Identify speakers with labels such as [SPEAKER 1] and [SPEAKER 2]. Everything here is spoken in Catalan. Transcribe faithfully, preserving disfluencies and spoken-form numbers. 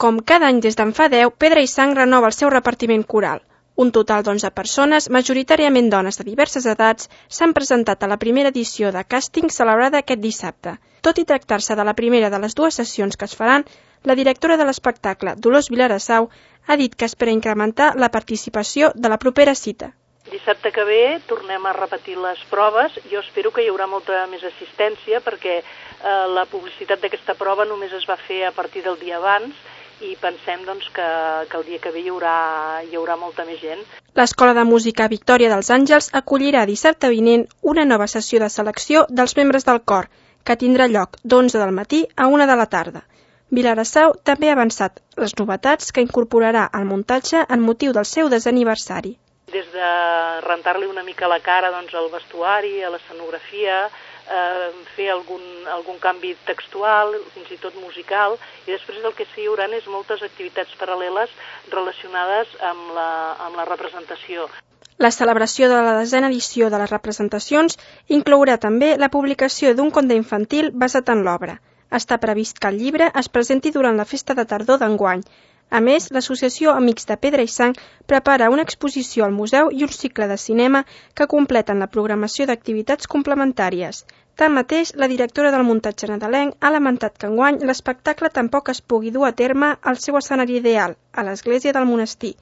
[SPEAKER 1] Com cada any des d'en fa deu, Pedra i Sang renova el seu repartiment coral. Un total d'onze persones, majoritàriament dones de diverses edats, s'han presentat a la primera edició de càsting celebrada aquest dissabte. Tot i tractar-se de la primera de les dues sessions que es faran, la directora de l'espectacle, Dolors Vilarassau, ha dit que espera incrementar la participació de la propera cita.
[SPEAKER 2] Dissabte que ve tornem a repetir les proves. Jo espero que hi haurà molta més assistència perquè eh, la publicitat d'aquesta prova només es va fer a partir del dia abans i pensem doncs, que, que el dia que ve hi haurà, hi haurà molta més gent.
[SPEAKER 1] L'Escola de Música Victòria dels Àngels acollirà dissabte vinent una nova sessió de selecció dels membres del cor, que tindrà lloc d'onze del matí a una de la tarda. Vilarassau també ha avançat les novetats que incorporarà al muntatge en motiu del seu desaniversari.
[SPEAKER 2] Des de rentar-li una mica la cara doncs, al vestuari, a l'escenografia, eh, fer algun, algun canvi textual, fins i tot musical, i després el que sí hi haurà és moltes activitats paral·leles relacionades amb la, amb la representació.
[SPEAKER 1] La celebració de la desena edició de les representacions inclourà també la publicació d'un conte infantil basat en l'obra. Està previst que el llibre es presenti durant la festa de tardor d'enguany. A més, l'Associació Amics de Pedra i Sang prepara una exposició al museu i un cicle de cinema que completen la programació d'activitats complementàries. Tanmateix, la directora del muntatge nadalenc ha lamentat que enguany l'espectacle tampoc es pugui dur a terme al seu escenari ideal, a l'església del monestir.